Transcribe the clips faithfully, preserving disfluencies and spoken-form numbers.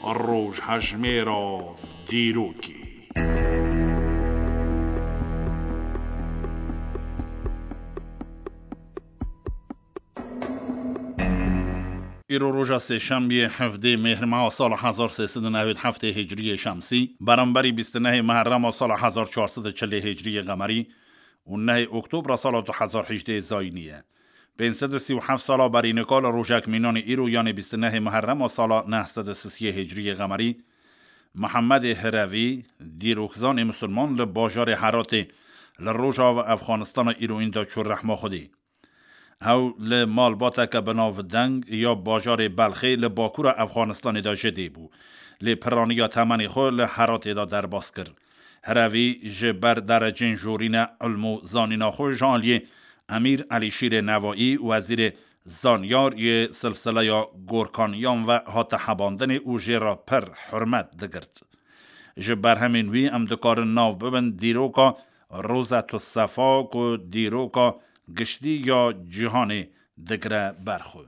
Rojhejmêra dîrokê. Îro roja sêşembiyê, hevdê mêhrmeha sala hezar sê sed û newêd heftê hicriyê şemsî, beramberî bîst û nehê meherrema sala hezar çar sed û çilê hicriyê qemerî û nehê oktobra sala du hezar hejdê zayînî ye. Pênc sed û sî û heft sala berî nika li rojek mînanê îro, yanê bîst û nehê meherrema sala neh sed û sisiyê hicriyê qemerî, Mihemedê Hirevî, dîrokzanê misilman li bajarê Heratê li rojava Efxanistana îroyîn de çû rehma Xwedê. Ew li malbateke bi navdeng ya bajarê Belxê li bakûra Efxanistanê de ji dê bû. Lê piraniya temenê xwe li Heratê de derbas kir. Herevî ji ber derecên jorîne ilm û zanîna xwe ji aliyê Emîr Elîşîrê Nevaî, wezîrê zanyar yê silsileya Gorkaniyan ve hate hebandinê û jê re pir hurmet digirt. Ji berhemên wî em dikarin nav bibin dîroka Rozetu Sefa ku dîroka giştî ya cîhanê digire ber xwe.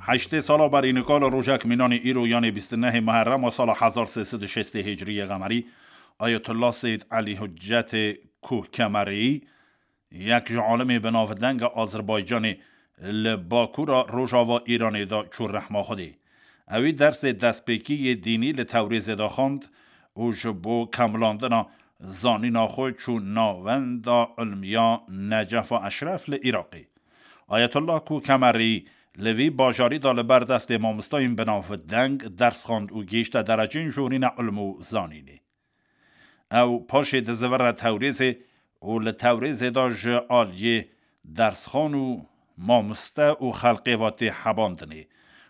Heştê sala berî nika li rojek mînanê îro, yanê bîst û nehê meherrema sala hezar sê sed û şêstê hicriyê qemerî, Ayetullah Seyyid Elî Huccetê Kuh Kemerî, yek ji alimê bi navdeng a Azerbaycanê, li bakûra rojava Îranê de çû rehma Xwedê. Ewî dersê destpêkî yê dînî li Tewrêzê de xwend û ji bo kemilandina zanîna xwe çû navenda ilmiya Necefa Eşref li Iraqê. Ayetullah Kuh Kemerî li vî bajarî de li ber destê mamostayên bi navdeng ders xwend û gihîşte derecên jorîne ilm û zanînê. Ew paşê dizivire Tewrêzê û li Tewrêzê de ji aliyê dersxan û mamoste û xelkê ve tê hebandinê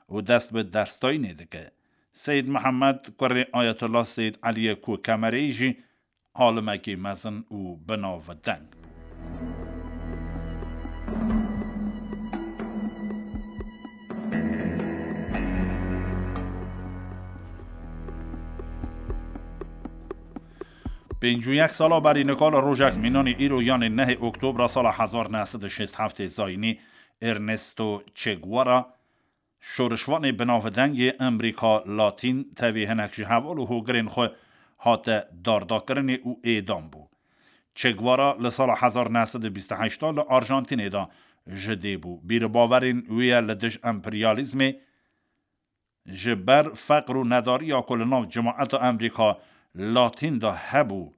û dest bi dersdayînê dike. Seyîd Mihemed, kurê Ayetullah Seyîd Eliyê Kuh Kemerî jî alimekî mezin û bi navdeng bû. Pêncî û yek sala berî nika li rojek mînanê îro, yanê nehê oktobra sala hezar neh sed û şêst heftê zayînî, Ernesto Che Guevara, şorişvanê bi navdeng yê Amerîka Latîn, tevî hinek ji heval û hogirên xwe hate dardakirinê û êdam bû. Che Guevara li sala hezar neh sed û bîst û heşt de li Arjantînê de ji dê bû. Bîr û bawerên wî ye li dij emperyalîzmê, ji ber feqr û nedariya ku li nav cemaeta Amerîka Latîn de hebû,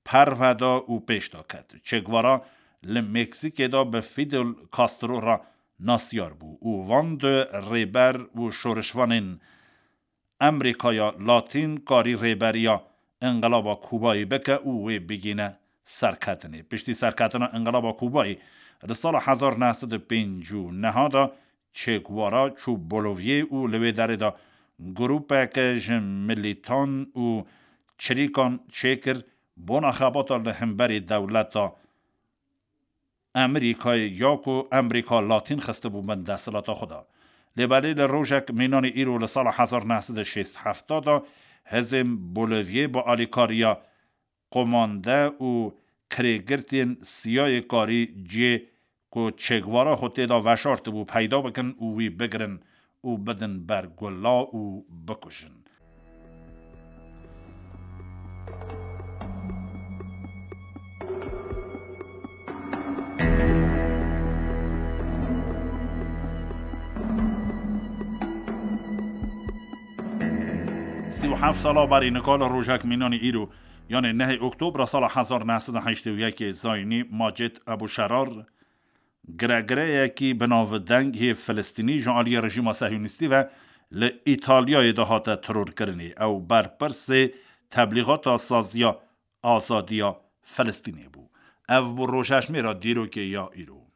perve da û pêş de ket. Che Guevara li Meksîkê de bi Fidel Castro re nasyar bû û van du rêber û şorişvanên Amerîkaya Latîn karî rêberiya Înqilaba Kubayê bike û wê bigîne serketinê. Piştî serketina Înqilaba Kubayê di sala hezar neh sed û pêncî û neh de Che Guevara çû Bolivyê û li wê derê de grûpeke ji milîtan û çirîkan çêkir bona xebata li hemberî dewleta Amerîkayê ya ku Amerîka Latîn xistibû bin desthilata xwe de. Lê belê li rojek mînanê îro li sala hezar neh sed û şêst heft de hizên Bolivyê bi alîkariya komande û kirêgirtên siyayê karî cihê ku Che Guevara xwe tê de veşartibû peyda bikin û wî bigirin û bidin ber gula û bikujin. Sî û heft sala berî nika li rojek mînanî îro, yanê nehê Oktobra sala hezar neh sed û heştê û yekê zayînî, Macid Ebû Şerar, giregireyekî bi navdeng yê Filistînî ji aliyê rejîma sehyonîstî ve li Îtalyayê de hate terorkirinê. Ew berpirsê teblîxata saziya azadiya Filistînê bû. Ev bû rojhejmêra dîrokê ya îro.